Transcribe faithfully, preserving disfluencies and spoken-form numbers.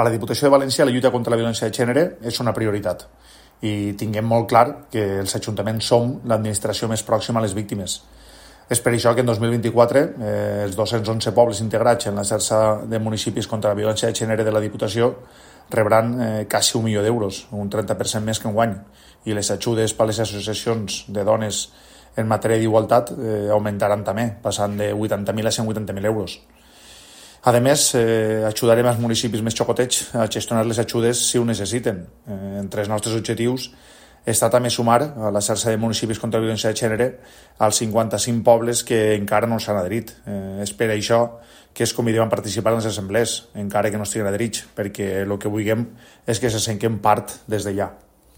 Per a la Diputació de València la lluita contra la violència de gènere és una prioritat i tinguem molt clar que els ajuntaments som l'administració més pròxima a les víctimes. És per això que en dos mil vint-i-quatre eh, els dos-cents onze pobles integrats en la xarxa de municipis contra la violència de gènere de la Diputació rebran eh, quasi un milió d'euros, un trenta per cent més que enguany, i les ajudes per a les associacions de dones en matèria d'igualtat eh, augmentaran també, passant de vuitanta mil a cent vuitanta mil euros. A més, eh, ajudarem als municipis més xocotets a gestionar les ajudes si ho necessiten. Eh, entre els nostres objectius està també sumar a la xarxa de municipis contra la violència de gènere als cinquanta-cinc pobles que encara no s'han adherit. Eh, és per això que es convidem a participar en les assemblees, encara que no estiguin adherits, perquè el que vulguem és que se sentin part des d'allà.